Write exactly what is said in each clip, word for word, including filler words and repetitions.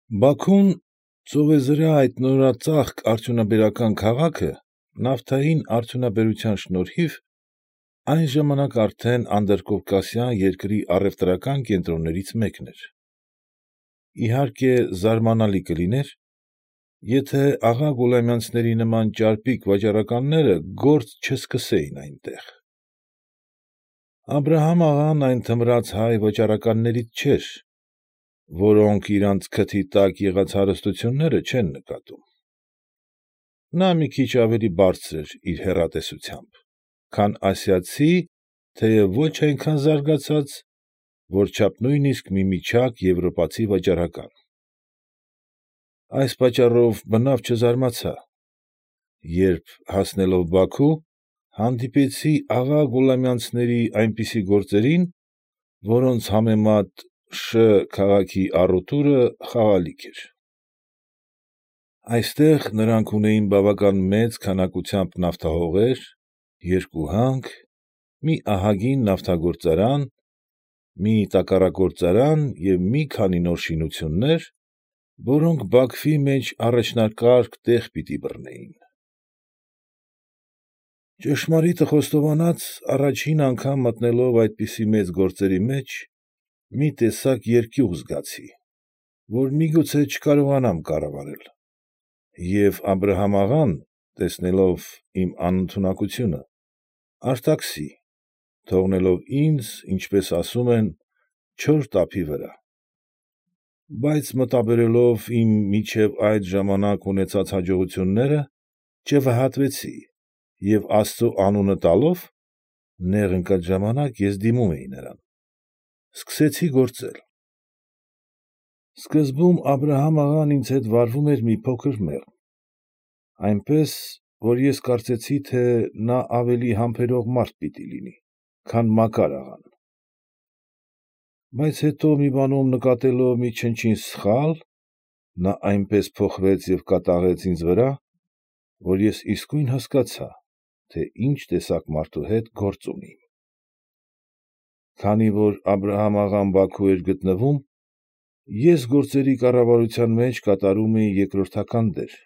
Բաքուն, ծովեզրահ այդ նորածաղկ արդյունաբերական քաղաքը, նավթային արդյունաբերության շնորհիվ, այն ժամանակ արդեն անդրկովկասյան երկրի առևտրական կենտրոններից մեկն էր. իհարկե, զարմանալի կլիներ, եթե աղա Գուլամյանցների նման ճարպիկ վաճառականները գործ չսկսեին այնտեղ. Աբրահամ֊աղան այն թմրած հայ վաճառականներից չէր, որոնք իրանց քթի տակ եղած հարստությունները չեն նկատում. նա մի քիչ ավելի բարձր էր իր հեռատեսությամբ, քան ասիացի, թեև ոչ այնքան զարգացած, որչափ նույնիսկ մի միջակ եվրոպացի վաճառական. Այս պատճառով բնավ չզարմացա, երբ, հասնելով Բաքու, հանդիպեցի աղա Գուլամյանցների այնպիսի գործերին, որոնց համեմատ Շ… քաղաքի առուտուրը խաղալիք էր. Այստեղ նրանք ունեին բավական մեծ քանակությամբ նավթահողեր, երկու հանք, մի ահագին նավթագործարան, մի տակառագործարան և մի քանի նոր շինություններ, որոնք Բաքվի մեջ առաջնակարգ տեղ պիտի բռնեին։ Ճշմարիտը խոստովանած, առաջին անգամ մտնելով այդպիսի մեծ գործերի մեջ, մի տեսակ երկյուղ զգացի, որ միգուցե չկարողանամ կառավարել, և Աբրահամ֊աղան, տեսնելով իմ անընդունակությունը, արտաքսի, թողնելով ինձ, ինչպես ասում են, չոր տափի վրա, բայց մտաբերելով իմ մինչև այդ ժամանակ ունեցած հաջողությունները, չվհատվեցի և աստծու անունը տալով (նեղ ընկած ժամանակ ես դիմում էի նրան) սկսեցի գործել։ Սկզբում Աբրահամ֊աղան ինձ հետ վարվում էր մի փոքր մեղմ, այնպես, որ ես կարծեցի, թե նա ավելի համբերող մարդ պիտի լինի, քան Մակար աղան, բայց հետո մի բանում նկատելով մի չնչին սխալ, նա այնպես փոխվեց և կատաղեց ինձ վրա, որ ես իսկույն հասկացա, թե ինչ տեսակ մարդու հետ գործ ունեի։ Քանի որ Աբրահամ֊աղան Բաքու էր գտնվում, ես գործերի կառավարության մեջ կատարում էի երկրորդական դեր,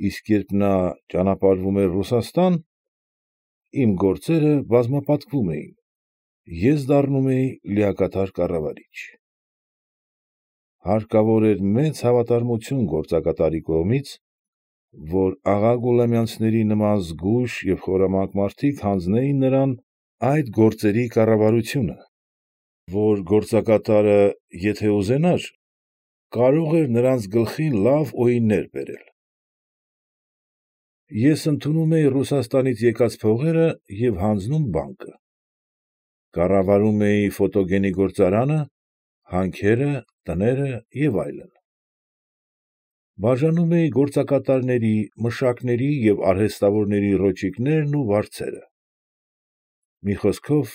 իսկ երբ նա ճանապարհվում էր Ռուսաստան, իմ գործերը բազմապատկվում էին, ես դառնում էի լիակատար կառավարիչ։ Հարկավոր էր մեծ հավատարմություն գործակատարի կողմից, որ աղա Գուլամյանցների նման զգույշ և խորամանկ մարդիկ հանձնեին նրան այդ գործերի կառավարությունը, որ գործակատարը, եթե ուզենար, կարող էր նրանց գլխին լավ օիններ բերել։ Ես ընդունում էի Ռուսաստանից եկած փողերը և հանձնում բանկը, կառավարում էի ֆոտոգենի գործարանը, հանքերը, տները և այլն։ Բաժանում էի գործակատարների, մշակների և արհեստավորների ռոճիկներն ու վարձերը։ Մի խոսքով,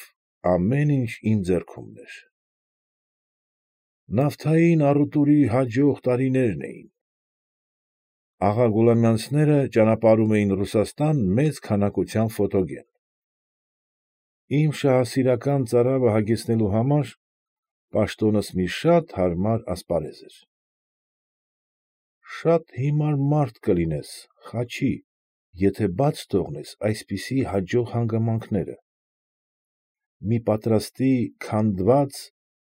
ամեն ինչ իմ ձեռքումն էր։ Նավթային առուտուրի հաջող տարիներն էին։ Աղա Գուլամյանցները ճանապարհում էին Ռուսաստան մեծ քանակությամբ ֆոտոգեն։ Իմ շահասիրական ծարավը հագեցնելու համար պաշտոնս մի շատ հարմար ասպարեզ էր։ Շատ հիմար մարդ կլինես, Խաչի, եթե բաց թողնես այսպիսի հաջող հանգամանքները։ Մի պատրաստի, քանդված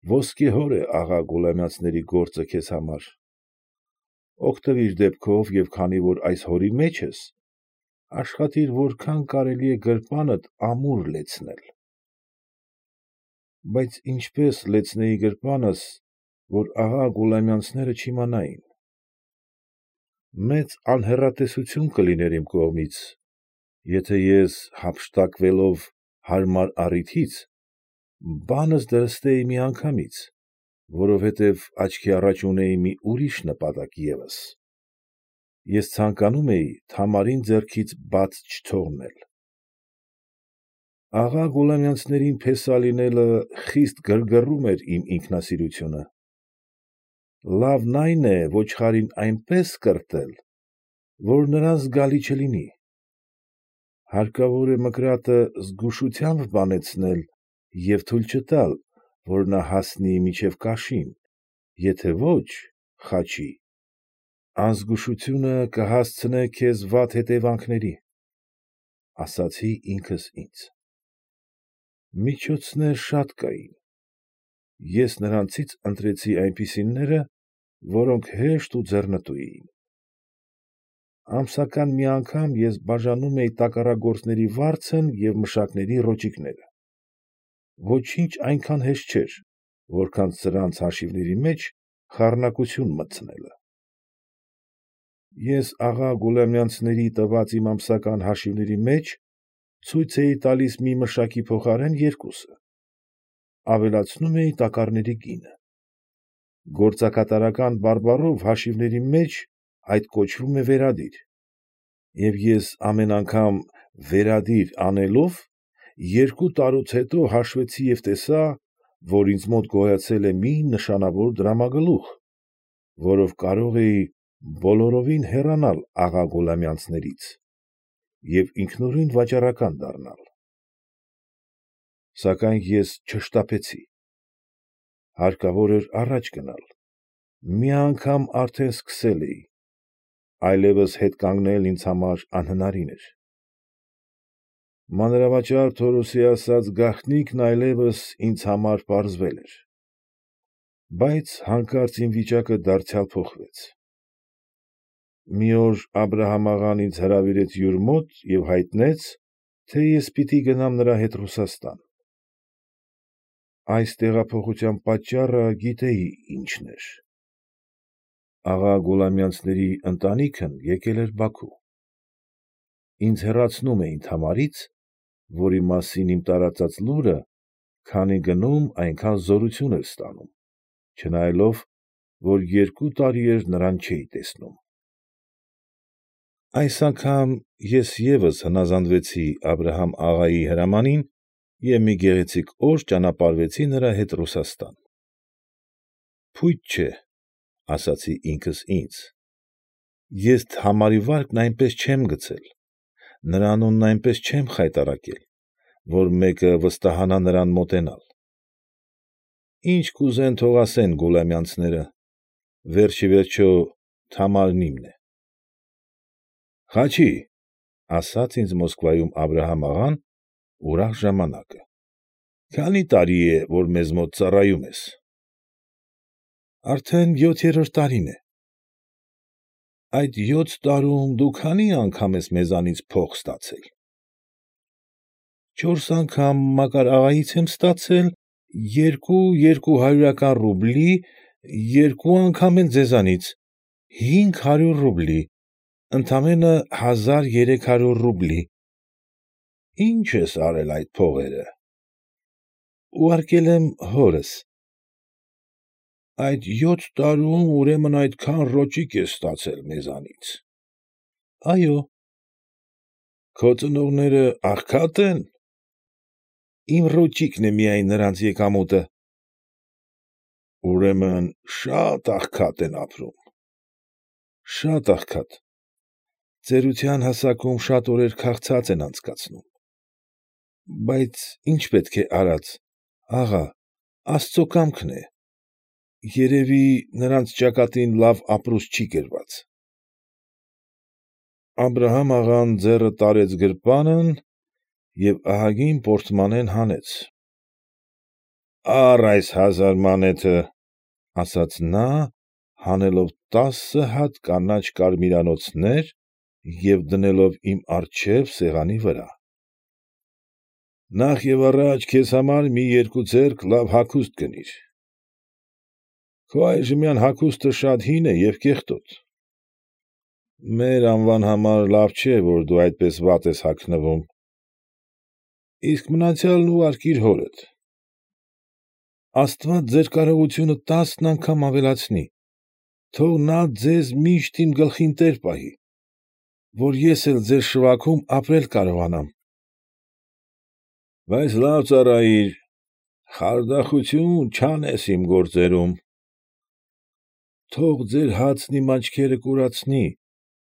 ոսկեհոր է աղա Գուլամյանցների գործը քեզ համար։ Օգտվիր դեպքով և քանի որ այս հորի մեջ ես, աշխատիր որքան կարելի է գրպանդ ամուր լեցնել։ Բայց ինչպե՞ս լեցնեի գրպանս, որ աղա Գուլամյանցները չիմանային։ Մեծ անհեռատեսություն կլիներ իմ կողմից, եթե ես, հափշտակվելով հարմար առիթից, բանս դրստեի միանգամից, որովհետև աչքի առաջ ունեի մի ուրիշ նպատակ ևս. ես ցանկանում էի Թամարին ձեռքից բաց չթողնել։ Աղա Գուլամյանցներին փեսա լինելը խիստ գրգռում էր իմ ինքնասիրությունը։ Լավն այն է ոչխարին այնպես կրտել, որ նրան զգալի չլինի։ Հարկավոր է մկրատը զգուշությամբ բանեցնել և թույլ չտալ, որ նա հասնի մինչև կաշին, եթե ոչ, Խաչի, ազգուշությունը կհասցնե քեզ վատ հետևանքների, ֊ ասացի ինքս ինձ։ Միջոցներ շատ կային, ես նրանցից ընտրեցի այնպիսիները, որոնք հեշտ ու ձեռնտու էին։ Ամսական մի անգամ ես բաժանում էի տակառագործների վարձն և մշակների ռոճիկները։ Ոչինչ այնքան հեշտ չէր, որքան սրանց հաշիվների մեջ խառնակություն մտցնելը։ Ես աղա Գուլամյանցների տված իմ ամսական հաշիվների մեջ ցույց էի տալիս մի մշակի փոխարեն երկուսը, ավելացնում էի տակառների գինը։ Գործակատարական բարբառով հաշիվների մեջ այդ կոչվում է վերադիր, և ես ամեն անգամ վերադիր անելով երկու տարուց հետո հաշվեցի և տեսա, որ ինձ մոտ գոյացել է մի նշանավոր դրամագլուխ, որով կարող էի բոլորովին հեռանալ աղա Գուլամյանցներից և ինքնուրույն վաճառական դառնալ։ Սակայն ես չշտապեցի, հարկավոր էր առաջ գնալ, մի անգամ արդեն սկսել էի, այլևս հետ կանգնել ինձ համար անհնարին էր։ Մանրավաճառ Թորոսի ասած գաղտնիքն այլևս ինձ համար պարզվել էր։ Բայց հանկարծ իմ վիճակը դարձյալ փոխվեց։ Մի օր Աբրահամ աղան ինձ հրավիրեց յուր մոտ և հայտնեց, թե ես պիտի գնամ նրա հետ Ռուսաստան։ Այս տեղափոխության պատճառը գիտեի ինչն էր. աղա Գուլամյանցների ընտանիքն եկել էր Բաքու։ Ինձ հեռացնում էին Թամարից, որի մասին իմ տարածած լուրը քանի գնում այնքան զորություն էր ստանում, չնայելով, որ երկու տարի էր նրան չէի տեսնում։ Այս անգամ ես ևս հնազանդվեցի Աբրահամ աղայի հրամանին և մի գեղեցիկ օր ճանապարհվեցի նրա հետ Ռուսաստան։ Փույթ չէ, ասացի ինքս ինձ, ես Թամարի վարկն այնպես չեմ գցել, նրա անունն այնպես չեմ խայտառակել, որ մեկը վստահանա նրան մոտենալ։ Ինչ կուզեն թող ասեն Գուլամյանցները, վերջ ի վերջո Թամարն իմն է։ Խաչի, ֊ ասաց ինձ Մոսկվայում Աբրահամ աղան ուրախ ժամանակը, ֊ քանի՞ տարի է, որ մեզ մոտ ծառայում ես։ Արդեն յոթերորդ տարին է։ Այդ յոթ տարում դու քանի՞ անգամ ես մեզանից փող ստացել։ Չորս անգամ Մակար աղայից եմ ստացել երկու երկուհարյուրական ռուբլի, երկու անգամ էլ ձեզանից, հինգ հարյուր ռուբլի, ընդամենը հազար երեք հարյուր ռուբլի։ Ի՞նչ ես արել այդ փողերը։ Ուղարկել եմ հորս։ Այդ յոթ տարում ուրեմն այդքան ռոճիկ ես ստացել մեզանից։ Այո։ Քո ծնողները աղքատ են։ Իմ ռոճիկն է միայն նրանց եկամուտը։ Ուրեմն շատ աղքատ են ապրում։ Շատ աղքատ։ Ծերության հասակում շատ օրեր քաղցած են անցկացնում։ Բայց ի՞նչ պետք է արած, աղա, աստծու կամքն է, երևի նրանց ճակատին լավ ապրուստ չի գրված։ Աբրահամ աղան ձեռը տարեց գրպանն և ահագին պորտմանեն հանեց։ Առ այս հազար մանեթը, ֊ ասաց նա, հանելով տասը հատ կանաչ կարմիրանոցներ և դնելով իմ առջև սեղանի վրա։ Նախ և առաջ քեզ համար մի երկու ձեռք լավ հագուստ գնիր։ Քո այժմյան հագուստը շատ հին է և կեղտոտ։ Մեր անվան համար լավ չէ, որ դու այդպես վատ ես հագնվում։ Իսկ մնացյալն ուղարկիր հորդ։ Աստված ձեր կարողությունը տասն անգամ ավելացնի, թող նա ձեզ միշտ իմ գլխին տեր պահի, որ ես էլ ձեր շվաքում ապրել կարողանամ։ Բայց լավ ծառայիր, խարդախություն չանես իմ գործերում։ Թող ձեր հացն իմ աչքերը կուրացնի,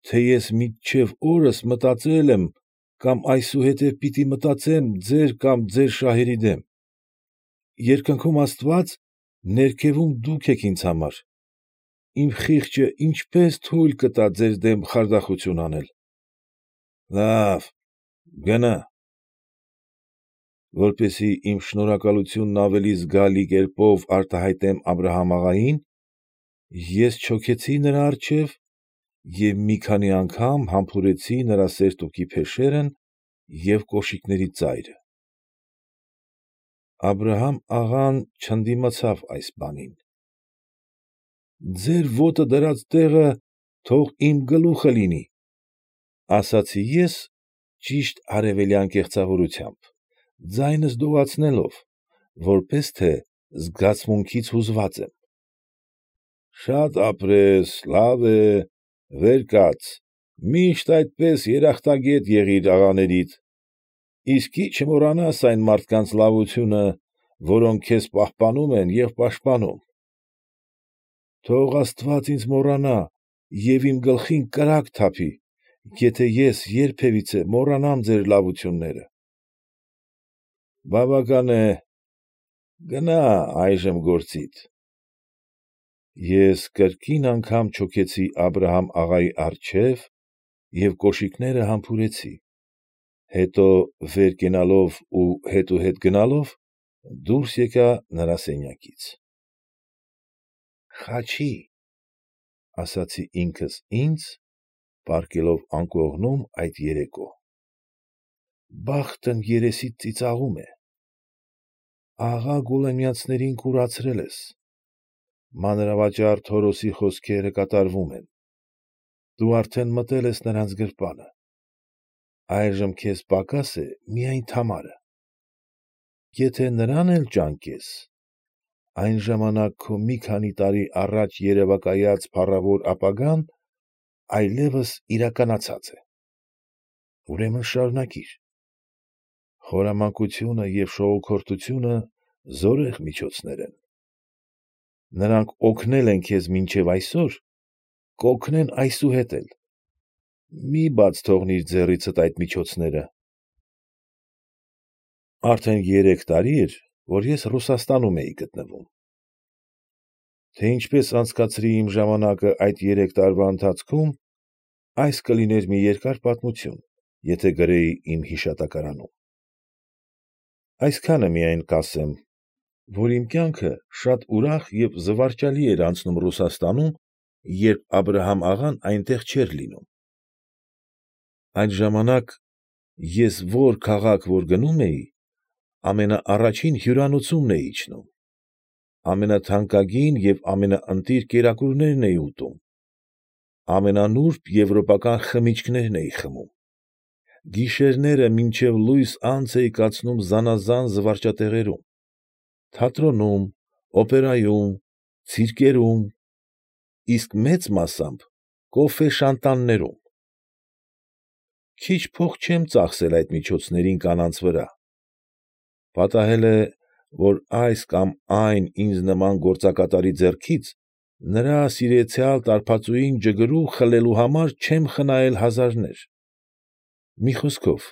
թե ես մինչև օրս մտածել եմ կամ այսուհետև պիտի մտածեմ ձեր կամ ձեր շահերի դեմ։ Երկնքում աստված, ներքևում դուք եք ինձ համար։ իմ խիղճը ինչպե՞ս թույլ կտա ձեր դեմ խարդախություն անել։ ֊ Լավ, գնա։ Որպեսզի իմ շնորհակալությունն ավելի զգալի կերպով արտահայտեմ Աբրահամ֊աղային, ես չոքեցի նրա առջև և մի քանի անգամ համբուրեցի նրա սերտուկի փեշերն և կոշիկների ծայրը։ Աբրահամ֊աղան չընդդիմացավ այս բանին։ ֊ Ձեր ոտը դրած տեղը թող իմ գլուխը լինի, ֊ ասացի ես ճիշտ արևելյան կեղծավորությամբ, ձայնս դողացնելով, որպես թե զգացմունքից հուզված եմ։ ֊ Շատ ապրես, լավ է, վեր կաց, միշտ այդպես երախտագետ եղիր աղաներիդ, իսկ չմոռանաս այն մարդկանց լավությունը, որոնք քեզ պահպանում են և պաշտպանում։ Թող աստված ինձ մոռանա և իմ գլխին կրակ թափի, եթե ես երբևիցե մոռանամ ձեր լավությունները։ ֊ Բավական է, գնա այժմ գործիդ։ Ես կրկին անգամ չոքեցի Աբրահամ֊աղայի առջև և կոշիկները համբուրեցի, հետո վեր կենալով ու հետուհետ գնալով դուրս եկա նրա սենյակից։ «Խաչի՛, ֊ ասացի ինքս ինձ, պառկելով անկողնում այդ երեկո, ֊ բախտն երեսիդ ծիծաղում է, աղա Գուլամյանցներին կուրացրել ես, մանրավաճառ Թորոսի խոսքերը կատարվում են, դու արդեն մտել ես նրանց գրպանը, այժմ քեզ պակաս է միայն Թամարը։ Եթե նրան էլ ճանկես, այն ժամանակ քո մի քանի տարի առաջ երևակայած փառավոր ապագան այլևս իրականացած է։ Ուրեմն շարունակիր։ Խորամանկությունը և շողոքորթությունը զորեղ միջոցներ են. նրանք օգնել են քեզ մինչև այսօր, կօգնեն այսուհետ էլ, մի բաց թողնիր ձեռիցդ այդ միջոցները։ Արդեն երեք տարի էր, որ ես Ռուսաստանում էի գտնվում։ Թե ինչպես անցկացրի իմ ժամանակը այդ երեք տարվա ընթացքում, այս կլիներ մի երկար պատմություն, եթե գրեի իմ հիշատակարանում։ Այսքանը միայն կասեմ, որ իմ կյանքը շատ ուրախ և զվարճալի էր անցնում Ռուսաստանում, երբ Աբրահամ֊աղան այնտեղ չէր լինում։ Այդ ժամանակ ես որ քաղաք որ գնում էի, ամենաառաջին հյուրանոցումն էի իջնում, ամենաթանկագին և ամենաընտիր կերակուրներն էի ուտում, ամենանուրբ եվրոպական խմիչքներն էի խմում, գիշերները մինչև լույս անց էի կացնում զանաղան զվարճատեղերում, թատրոնում, օպերայում, ցիրկերում, իսկ մեծ մասամբ կոֆե֊շանտաններում։ Քիչ փող չեմ ծախսել այդ միջոցներին կանանց վրա, պատահել է, որ այս կամ այն ինձ նման գործակատարի ձեռքից նրա սիրեցյալ տարբածուին ջգրու խլելու համար չեմ խնայել հազարներ։ Մի խոսքով,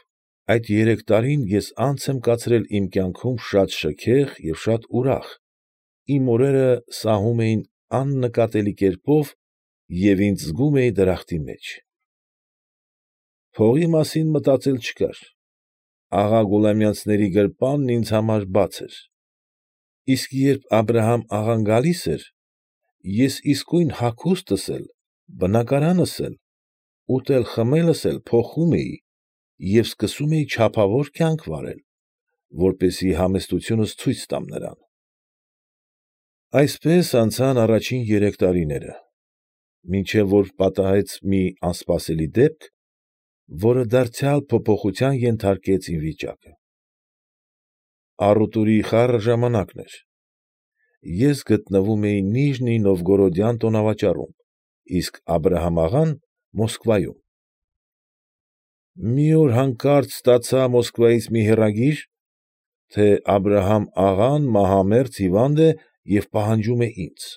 այդ երեք տարին ես անց եմ կացրել իմ կյանքում շատ շքեղ և շատ ուրախ, իմ օրերը սահում էին աննկատելի կերպով և ինձ զգում էի դրախտի մեջ։ Փողի մասին մտածել չկար, աղա Գուլամյանցների գրպանն ինձ համար բաց էր, իսկ երբ Աբրահամ֊աղան գալիս էր, ես իսկույն հագուստս էլ, բնակարանս էլ, ուտել֊խմելս էլ փոխում էի և սկսում էի չափավոր կյանք վարել, որպեսզի համեստությունս ցույց տամ նրան։ Այսպես անցան առաջին երեք տարիները, մինչև որ պատահեց մի անսպասելի դեպք, որը դարձյալ փոփոխության ենթարկեց իմ վիճակը։ Առուտուրի խառը ժամանակն էր։ Ես գտնվում էի Նիժնի Նովգորոդյան տոնավաճառում, իսկ Աբրահամ֊աղան Մոսկվայում։ Մի օր հանկարծ ստացա Մոսկվայից մի հեռագիր, թե Աբրահամ֊աղան մահամերձ հիվանդ է և պահանջում է ինձ։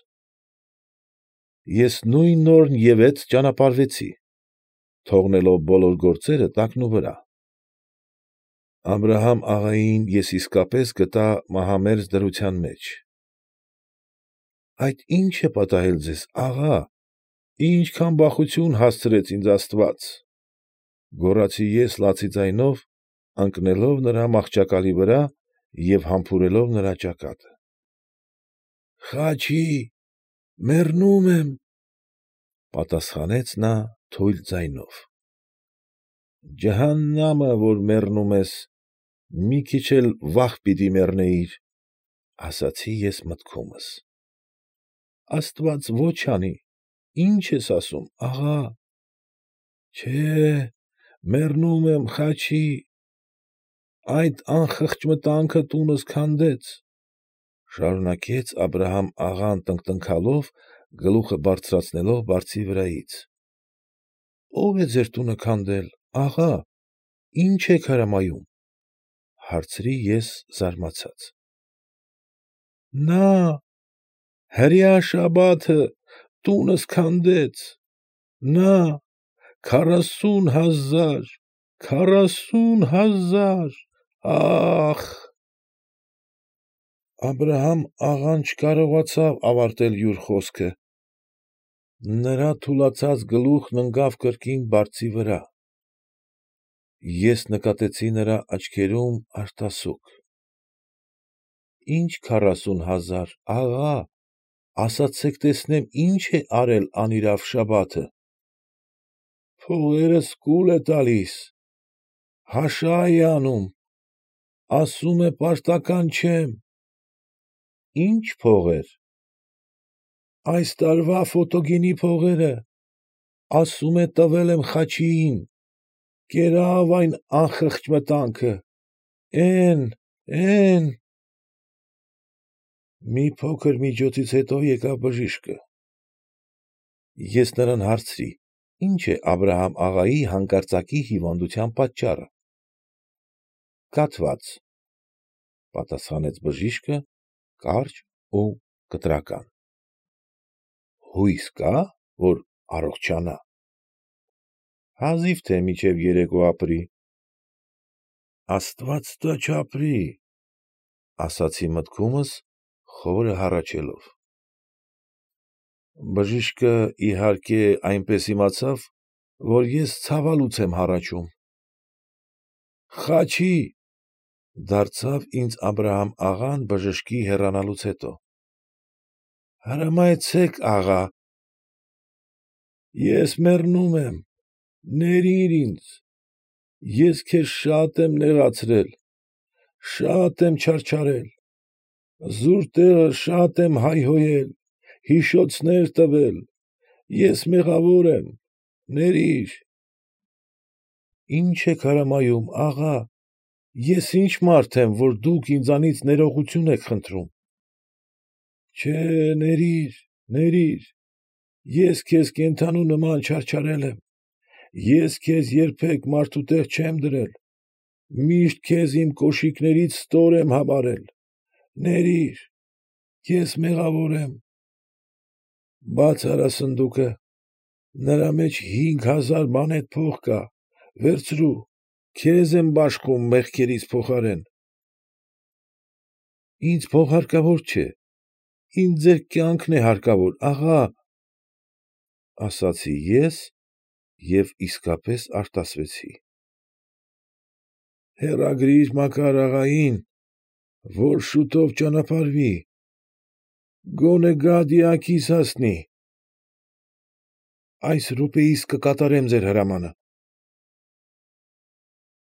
Ես նույն օրն ևեթ ճանապարհվեցի, թողնելով բոլոր գործերը տակնուվրա։ Աբրահամ֊աղային ես իսկապես գտա մահամերձ դրության մեջ։ Այդ ի՞նչ է պատահել ձեզ, աղա, ի՞նչ քամբախություն հասցրեց ինձ աստված, ֊ գոռացի ես լացի ձայնով, ընկնելով նրա մահճակալի վրա և համբուրելով նրա ճակատը։ ֊ Խաչի, մեռնում եմ, ֊ պատասխանեց նա թույլ ձայնով։ ֊ Ջհաննամը, որ մեռնում ես, մի քիչ էլ վաղ պիտի մեռնեիր, ֊ ասացի ես մտքումս։ ֊ Աստված ոչ անի, ի՞նչ ես ասում, աղա։ ֊ Չէ, մեռնում եմ, Խաչի, այդ անխղճ մտանքը տունս քանդեց, ֊ շարունակեց Աբրահամ֊աղան տնկտնքալով, գլուխը բարձրացնելով բարձի վրայից։ ֊ Ո՞վ է ձեր տունը քանդել, աղա, ի՞նչ եք հրամայում, ֊ հարցրի ես զարմացած։ ֊ Նա, հրեաշաբաթը տունս քանդեց, նա, քառասուն հազար, քառասուն հազար, ա՜խ… Աբրահամ֊աղան չկարողացավ ավարտել յուր խոսքը, նրա թուլացած գլուխն ընկավ կրկին բարձի վրա։ Ես նկատեցի նրա աչքերում արտասուք։ ֊ Ի՞նչ քառասուն հազար, աղա, ասացեք տեսնեմ ի՞նչ է արել անիրավ շաբաթը։ ֊ Փողերս կուլ է տալիս, հաշա է անում, ասում է պարտական չեմ։ ֊ Ի՞նչ փողեր։ ֊ Այս տարվա ֆոտոգենի փողերը, ասում է տվել եմ Խաչիին, կերավ այն անխղճ մտանքը, էն, էն… Մի փոքր միջոցից հետո եկավ բժիշկը։ Ես նրան հարցրի. ի՞նչ է Աբրահամ֊աղայի հանկարծակի հիվանդության պատճառը։ ֊ Կաթված, ֊ պատասխանեց բժիշկը կարճ ու կտրական։ ֊ Հույս կա՞, որ առողջանա։ ֊ Հազիվ թե մինչև երեկո ապրի։ ֊ Աստված տա չապրի, ֊ ասացի մտքումս, խորը հառաչելով։ Բժիշկը, իհարկե, այնպես իմացավ, որ ես ցավալուց եմ հառաչում։ ֊ Խաչի, ֊ դարձավ ինձ Աբրահամ֊աղան բժշկի հեռանալուց հետո։ ֊ Հրամայեցեք, աղա։ ֊ Ես մեռնում եմ, ներիր ինձ, ես քեզ շատ եմ նեղացրել, շատ եմ չարչարել, զուր տեղը շատ եմ հայհոյել, հիշոցներ տվել, ես մեղավոր եմ, ներիր… ֊ Ի՞նչ եք հրամայում, աղա, ես ի՞նչ մարդ եմ, որ դուք ինձանից ներողություն եք խնդրում։ ֊ Չէ, ներիր, ներիր, ես քեզ կենդանու նման չարչարել եմ, ես քեզ երբեք մարդու տեղ չեմ դրել, միշտ քեզ իմ կոշիկներից ստոր եմ համարել, ներիր, ես մեղավոր եմ… Բաց արա սնդուկը, նրա մեջ հինգ հազար մանեթ փող կա, վերցրու, քեզ եմ բաշխում մեղքերիս փոխարեն։ ֊ Ինձ փող հարկավոր չէ, ինձ ձեր կյանքն է հարկավոր, աղա, ֊ ասացի ես և իսկապես արտասվեցի։ ֊ Հեռագրիր Մակար աղային, որ շուտով ճանապարհվի, գոնե գա դիակիս հասնի։ ֊ Այս րոպեիս կկատարեմ ձեր հրամանը։